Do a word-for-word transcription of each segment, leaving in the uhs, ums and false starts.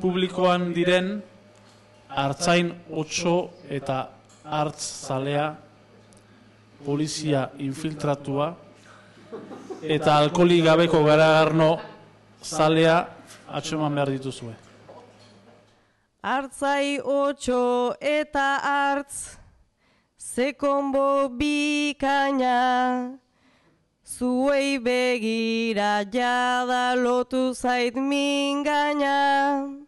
publikoan diren Artzain otso eta Artz zalea, polizia infiltratua eta alkoholik gabeko garagarno zalea atxeman behar dituzue. Artzai otso eta Artz, zekonbo bikaina, zuei begira jada lotu zait mingaina.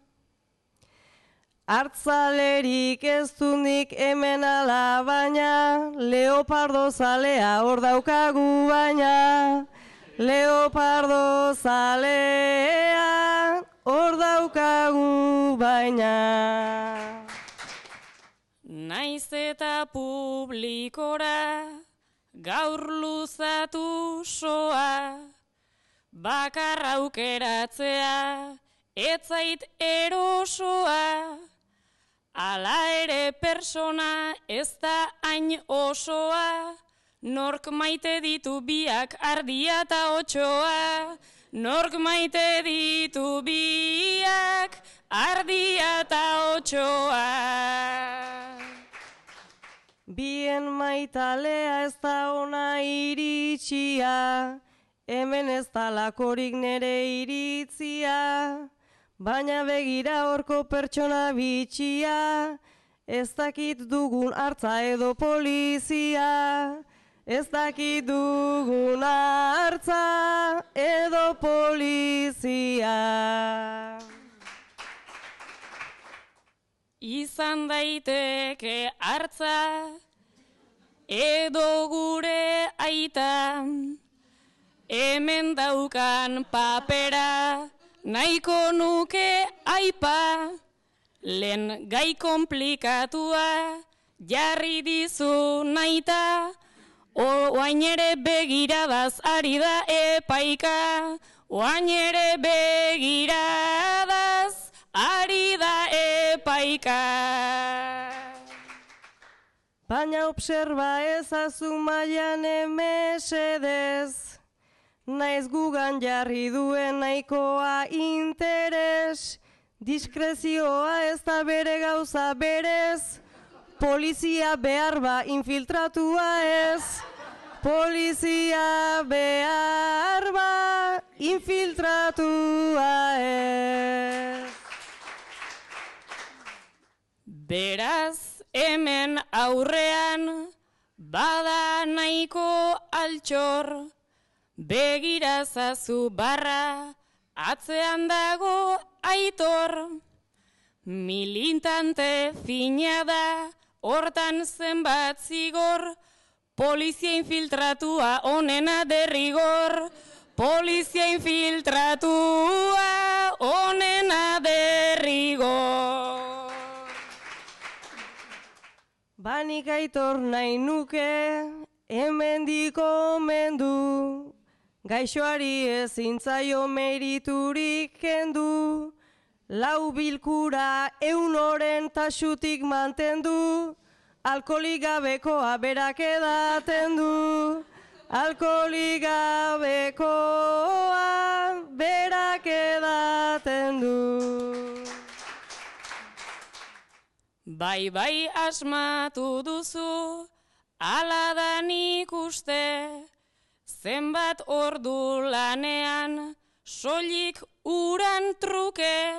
Artzalerik ez dunik hemen ala baina, leopardo zalea hor daukagu baina. Leopardo zalea hor daukagu baina. Naiz eta publikora gaur luzatu soa, bakar aukeratzea etzait erosoa. Ala ere persona ez da hain osoa, nork maite ditu biak ardia eta otsoa. Nork maite ditu biak ardia eta otsoa. Bien maitalea ez da ona iritsia, hemen ez da lakorik nere iritzia. Baina begira horko pertsona bitxia, ez dakit dugun hartza edo polizia. Ez dakit dugun hartza edo polizia. Izan daiteke hartza edo gure aita, hemen daukan papera nahiko nuke aipa. Lehen gai komplikatua jarri dizu naita, oain ere begiradaz ari da epaika. Oain ere begiradaz ari da epaika. Baina obserba ezazu mailan emesedez, naiz gugan jarri duen nahikoa interes. Diskrezioa ez da bere gauza berez, polizia behar ba infiltratua ez. Polizia behar ba infiltratua ez. Beraz hemen aurrean bada nahiko altxor, begirazazu barra atzean dago aitor. Militante fina da hortan zenbat zigor, polizia infiltratua onena derrigor. Polizia infiltratua onena derrigor. Banik aitor nahi nuke, hemendik omendu, gaixoari ezin zaio meriturik kendu. Lau bilkura eunoren tasutik mantendu, alkoholik gabekoa berak edaten du. Alkoholik gabekoa berak edaten du. Bai, bai asmatu duzu, ala da nik uste, zenbat ordu lanean, soilik uran truke.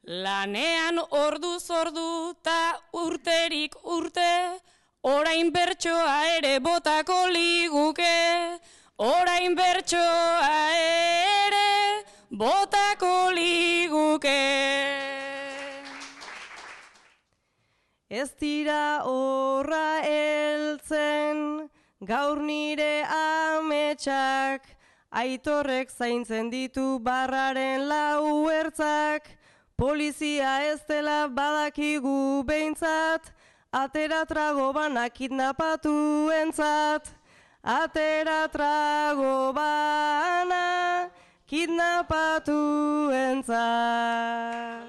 Lanean orduz ordu ta urterik urte, orain bertsoa ere botako liguke. Orain bertsoa ere botako liguke. Ez dira horra heltzen, gaur nire ametsak, aitorrek zaintzen ditu barraren lau ertzak. Polizia ez dela badakigu behintzat, atera trago bana kidnapatu entzat. Atera trago bana kidnapatu entzat.